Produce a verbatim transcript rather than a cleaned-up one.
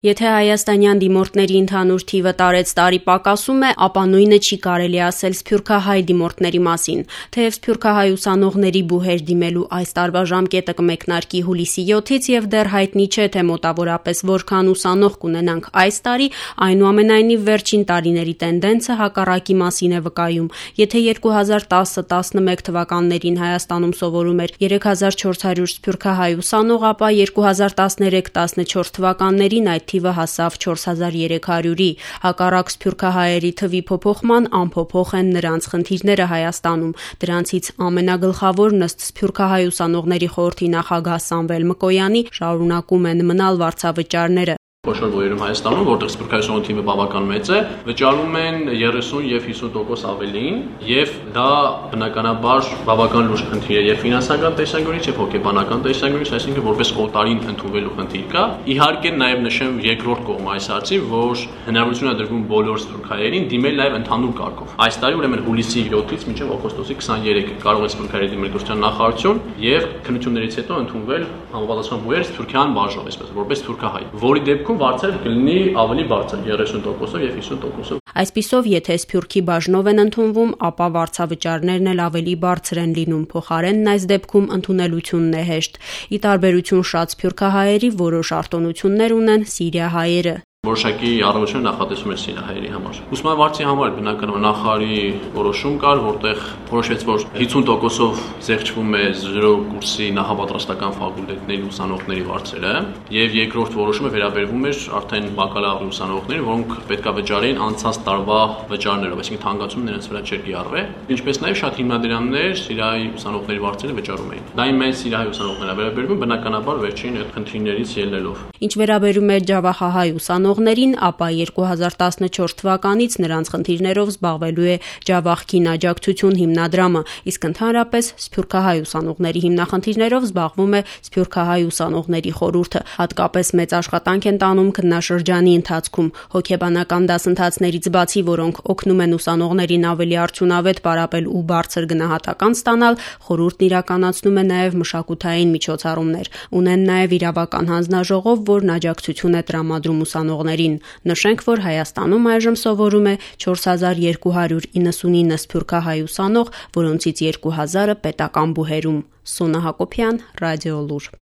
Եթե հայաստանյան դիմորդների ընդհանուր թիվը տարեց տարի պակասում է, ապա նույնը չի կարելի ասել սփյուռքահայ դիմորդների մասին։ Թեև սփյուռքահայ ուսանողների բուհեր դիմելու այս տարվա ժամկետը կմեկնարկի հուլիսի յոթից եւ դեռ հայտնի չէ, թե մոտավորապես որքան ուսանող կունենանք այս տարի, այնուամենայնիվ վերջին տարիների տենդենսը հակառակի մասին է վկայում։ Եթե երկու հազար տասը տասնմեկ թվականներին Հայաստանում սովորում էր երեք հազար չորս հարյուր սփյուռքահայ ուսանող, ապա երկու հազար տասներեք տասնչորս թվականներին այդ թիվը հասավ չորս հազար երեք հարյուրի։ Հակառակ սփյուռքահայերի թվի փոփոխման անփոփոխ են նրանց խնդիրները Հայաստանում։ Դրանցից ամենագլխավորն ըստ Սփյուռքահայ ուսանողների խորհրդի նախագահ Սամվել Մկոյանի շարունակում են մնալ վարձավճարները։ Խոշոր բույրում Հայաստանում, որտեղ սփյուռքահայ ուսանողների թիվը բավական մեծ է, վճարում են երեսուն եւ հիսուն տոկոս ավելին, եւ դա բնականաբար բավական լուրջ խնդիր է եւ ֆինանսական տեսանկյունից եւ հոգեբանական տեսանկյունից, այսինքն որպես օտարին ընդունվելու խնդիր կա։ Իհարկե նաեւ նշեմ երկրորդ կողմը այս հարցի, որ հնարավորություն է դրվում բոլոր սփյուռքահայերին դիմել նաեւ ընդհանուր կարգով։ Այս տարի ուրեմն հուլիսի յոթից մինչեւ օգոստոսի քսաներեքը կարող են սփյուռքահայերը դիմել Գյուղատնտեսության նախարարություն եւ քննություններից հետո ընդունվել համապատասխան բույր սփյուռքյան բաժնով, այսպես որպես սփյուռքահայ, որի դեպքում վարձերը կլինի ավելի բարձր երեսուն տոկոսով եւ հիսուն տոկոսով։ Այսպիսով, եթե սփյուռքի բաժնով են ընդունվում, ապա վարձավճարներն էլ ավելի բարձր են լինում, փոխարենն այս դեպքում ընդունելությունն է հեշտ։ Ի տարբերություն շատ սփյուռքահայերի, որոշ արտոնություններ ունեն սիրիահայերը։ Որոշակի առավելություն նախատեսում էր սիրիահայերի համար։ Ուսումնավարչի համար բնականաբար նախարարի որոշում կար, որտեղ որոշվեց, որ հիսուն տոկոսով զեղչվում է զրո կուրսի նախապատրաստական ֆակուլտետների ուսանողների վարձերը, եւ երկրորդ որոշումը վերաբերվում էր արդեն բակալավրի ուսանողներին, որոնք պետք է վճարեին անցած տարվա վճարներով, այսինքն թանկացումը նրանց վրա չէր կիրառվել, ինչպես նաեւ շատ հիմնադրամներ սիրիահայ ուսանողների վարձերը վճարում էին։ Դա իմ մեծ սիրիահայ ուսանողները վերաբերվում բնականաբար վերջին այդ խնդիրներից ելնելով։ Ինչ վերաբերում է ջավախահայ ուսանողներին, ապա երկու հազար տասնչորս թվականից նրանց խնդիրներով զբաղվելու է Ջավախքին աջակցություն հիմնադրամը, իսկ ընդհանրապես սփյուռքահայ ուսանողների հիմնախնդիրներով զբաղվում է Սփյուռքահայ ուսանողների խորհուրդը։ Հատկապես մեծ աշխատանք են տանում քննաշրջանի ընթացքում։ Հոգեբանական դասընթացներից բացի, որոնք օգնում են ուսանողներին ավելի արդյունավետ պարապել ու բարձր գնահատական ստանալ, խորհուրդն իրականացնում է նաև մշակութային միջոցառումներ։ Ունեն նաև իրավական հանձնաժողով, որն աջակցություն է տրամադրում ուսանողներին։ Նշենք, որ Հայաստանում այժմ սովորում է չորս հազար երկու հարյուր իննսունինը սփյուռքահայ ուսանող, որոնցից երկու հազարը պետական բուհերում։ Սոնա Հակոբյան, Ռադիոլուր։